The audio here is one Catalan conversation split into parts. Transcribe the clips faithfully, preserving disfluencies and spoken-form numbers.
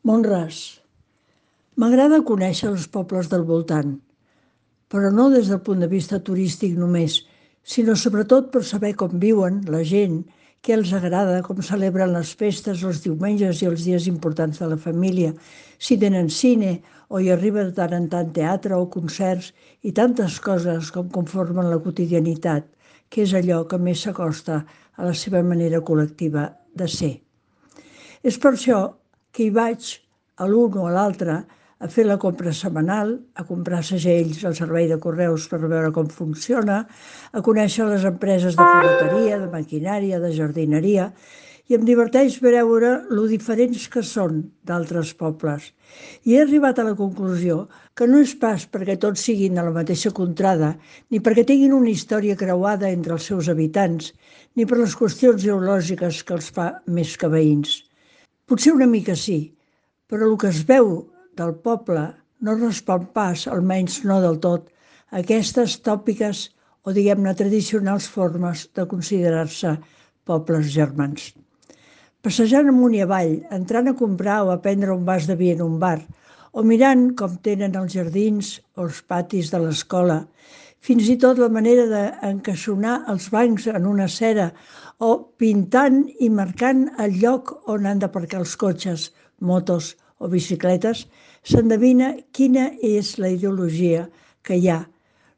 Mont-ras. M'agrada conèixer els pobles del voltant, però no des del punt de vista turístic només, sinó sobretot per saber com viuen la gent, què els agrada, com celebren les festes, els diumenges i els dies importants de la família, si tenen cine o hi arriba de tant en tant teatre o concerts i tantes coses com conformen la quotidianitat, que és allò que més s'acosta a la seva manera col·lectiva de ser. És per això que hi vaig a l'un o a l'altre a fer la compra setmanal, a comprar segells al servei de correus per veure com funciona, a conèixer les empreses de ferreteria, de maquinària, de jardineria, i em diverteix veure lo diferents que són d'altres pobles. I he arribat a la conclusió que no és pas perquè tots siguin de la mateixa contrada, ni perquè tinguin una història creuada entre els seus habitants, ni per les qüestions geològiques que els fa més que veïns. Potser una mica sí, però el que es veu del poble no respon pas, almenys no del tot, a aquestes tòpiques o, diguem-ne, tradicionals formes de considerar-se pobles germans. Passejant amunt i avall, entrant a comprar o a prendre un vas de vi en un bar, o mirant com tenen els jardins o els patis de l'escola, fins i tot la manera d'encaixonar els bancs en una acera o pintant i marcant el lloc on han d'aparcar els cotxes, motos o bicicletes, s'endevina quina és la ideologia que hi ha,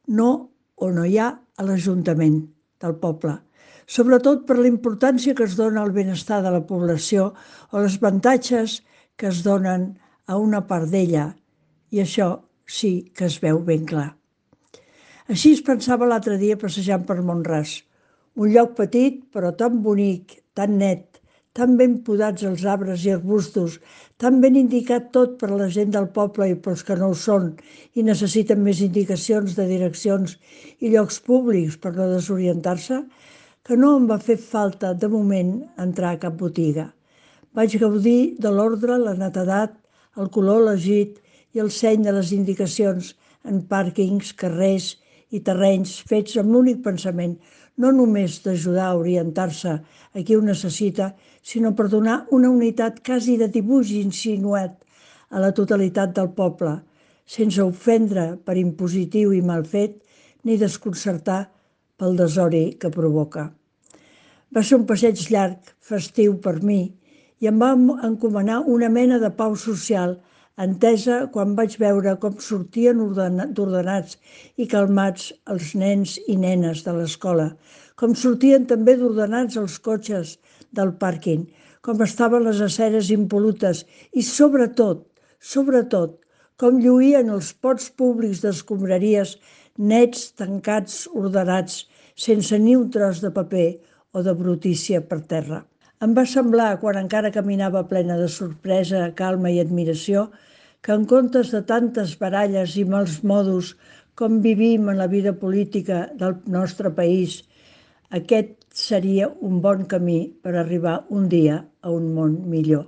no o no hi ha a l'Ajuntament del poble, sobretot per la importància que es dona al benestar de la població o els avantatges que es donen a una part d'ella, i això sí que es veu ben clar. Així es pensava l'altre dia passejant per Mont-ras, un lloc petit però tan bonic, tan net, tan ben podats els arbres i arbustos, tan ben indicat tot per a la gent del poble i pels que no ho són i necessiten més indicacions de direccions i llocs públics per no desorientar-se, que no em va fer falta de moment entrar a cap botiga. Vaig gaudir de l'ordre, la netedat, el color elegit i el seny de les indicacions en pàrquings, carrers i terrenys fets amb l'únic pensament no només d'ajudar a orientar-se a qui ho necessita, sinó per donar una unitat quasi de dibuix insinuat a la totalitat del poble, sense ofendre per impositiu i mal fet, ni desconcertar pel desori que provoca. Va ser un passeig llarg, festiu per mi, i em va encomanar una mena de pau social, entesa quan vaig veure com sortien ordenats i calmats els nens i nenes de l'escola, com sortien també d'ordenats els cotxes del pàrquing, com estaven les aceres impolutes i, sobretot, sobretot, com lluïen els pots públics d'escombraries nets, tancats, ordenats, sense ni un tros de paper o de brutícia per terra. Em va semblar, quan encara caminava plena de sorpresa, calma i admiració, que en comptes de tantes baralles i mals modos com vivim en la vida política del nostre país, aquest seria un bon camí per arribar un dia a un món millor.